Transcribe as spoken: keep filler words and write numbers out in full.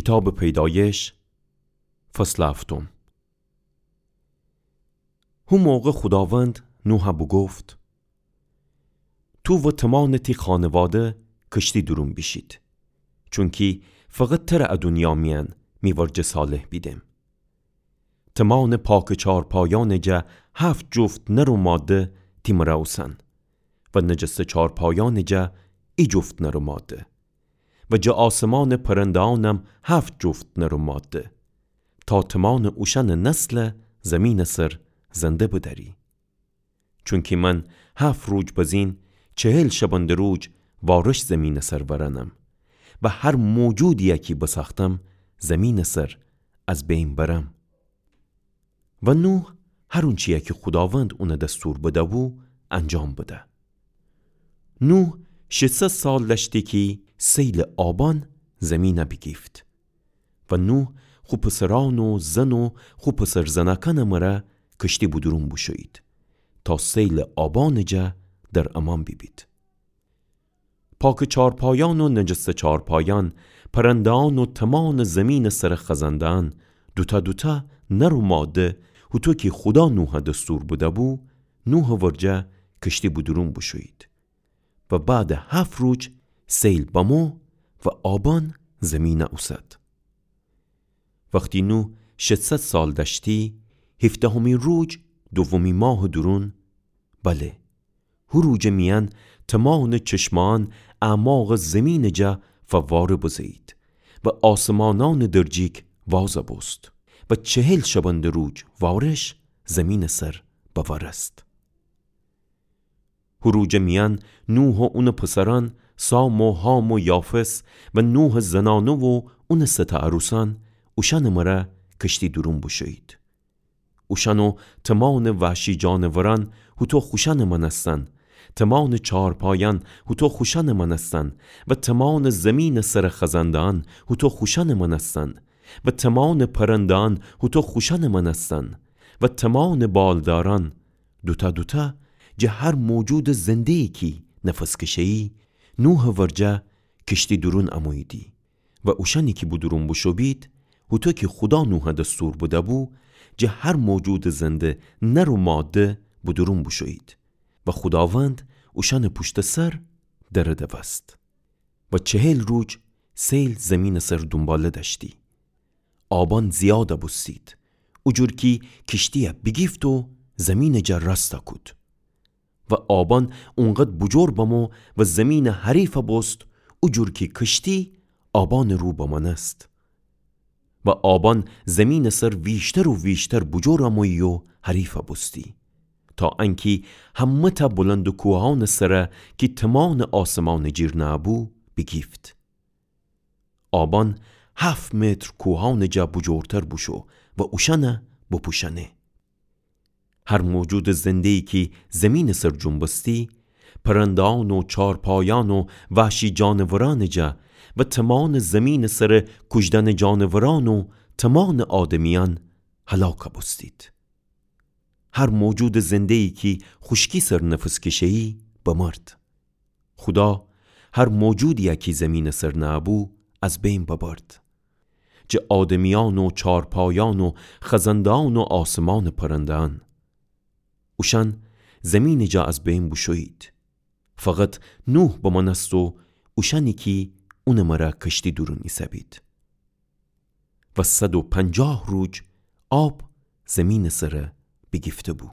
کیتابٚ پیدایش، فصلٚ هفتم. هو موقع خوداوند نوحَ بوگفت: تو و تومانٚ تی خانواده کشتی دورون بیشید، چونکی فقط تره ا دونیا میأن می ورجه صالح بیدم. تومانٚ پاکٚ چارپایأنٚ جا هفت جفت نر و ماده تی مرأ اوسن و نجستٚ چارپایأنٚ جا ای جفت نر و ماده و جٚه آسمانٚ پرنده‌یأنم هفت جفت نر و ماده، تا تومانٚ اوشأنٚ نسل زیمینٚ سر زنده بدأری. چونکی من هفت روج بزین، چهل شبنده روج وارش زیمینٚ سر ورأنم و هر موجودیی کی بساختم زیمینٚ سر از بین برم. و نوح هر اونچیی کی خوداوند اونَ دستور بده‌بو، انجام بده. نوح ششصد سال دأشتی کی سیلٚ آبأن زیمینَ بیگیفت. و نوح خو پسرأن و زن و خو پسر زنأکأنٚ مرأ کشتی بودورون بوشویید، تا سیلٚ آبأنٚ جا در امان بیبید. پاکٚ چارپایأن و نجستٚ چارپایأن، پرنده‌یأن و تومانٚ زیمینٚ سرٚ خزنده‌یأن، دوتأ دوتأ نر و ماده، هوطو کی خودا نوحَ دستور بده‌بو، نوحٚ ورجه کشتی بودورون بوشویید. و بعدٚ هفت روج سیل بمو و آبأن زیمینَ اوسد. وختی نوح ششصد سال دأشتی، هیفدهمی روج دومی ماهٚ دورون، بله، هو روجٚ میأن تومانٚ چشمأن اعماقٚ زیمینٚ جا فواره بزه‌یید و آسمانأنٚ درجیک وازَ بوست و چهل شبنده روج وارش زیمینٚ سر بورست. هو روجٚ میأن نوح و اونٚ پسرأن، سام و حام و یافث و نوحٚ زنأنه و اونٚ سه تأ عروسأن، اوشأنٚ مرأ کشتی دورون بوشویید. اوشأن و تومانٚ وحشی جانورأن هوطو خوشأنٚ مأنستن، تومانٚ چارپایأن هوطو خوشأنٚ مأنستن و تومانٚ زیمینٚ سرٚ خزنده‌یأن هوطو خوشأنٚ مأنستن و تومانٚ پرنده‌یأن هوطو خوشأنٚ مأنستن و تومانٚ بالدارأن، دوتأ دوتأ، جٚه هر موجودٚ زنده‌یی کی نفس کشه‌یی، نوحٚ ورجه کشتی دورون اموییدی. و اوشأنی کی بودورون بوشو بید، هوطو کی خودا نوحَ دستور بده‌بو، جٚه هر موجودٚ زنده نر و ماده بودورون بوشویید. و خوداوند اوشأنٚ پوشتٚ سر دره دوست. و چهل روج سیل زیمینٚ سر دونباله دأشتی. آبأن زیادَ بوستید، اوجور کی کشتیَ بیگیفت و زیمینٚ جا راستَ کود. و آبأن اونقدر بوجور بمو و زیمینَ حریفَ بوست، اوجور کی کشتی آبأنٚ رو بمأنست. و آبأن زیمینٚ سر ویشتر و ویشتر بوجور امویی و حریفَ بوستی، تا انکی همه‌تأ بلندٚ کوهأنٚ سرَ کی تومانٚ آسمانٚ جیر نأبو بیگیفت. آبأن هفت متر کوهأنٚ جا بوجورتر بوشو و اوشأنَ بپوشأنه. هر موجودٚ زنده‌یی کی زیمینٚ سر جنبستی، پرنده‌یأن و چارپایأن و وحشی جانورأنٚ جا و تومانٚ زیمینٚ سرٚ کوجدأنٚ جانورأن و تومانٚ آدمیأن هلاکَ بوستید. هر موجودٚ زنده‌یی کی خوشکی سر نفس کشه‌یی بمرد. خودا هر موجودیَ کی زیمینٚ سر نأبو از بین ببرد، جٚه آدمیأن و چارپایأن و خزنده‌یأن و آسمانٚ پرنده‌یأن. اوشأن زیمینٚ جا از بین بوشویید. فقط نوح بمأنست و اوشأنی کی اونٚ مرأ کشتی دورون ایسه‌بید. و صد و پنجاه روج آب زیمینٚ سرَ بیگیفته‌بو.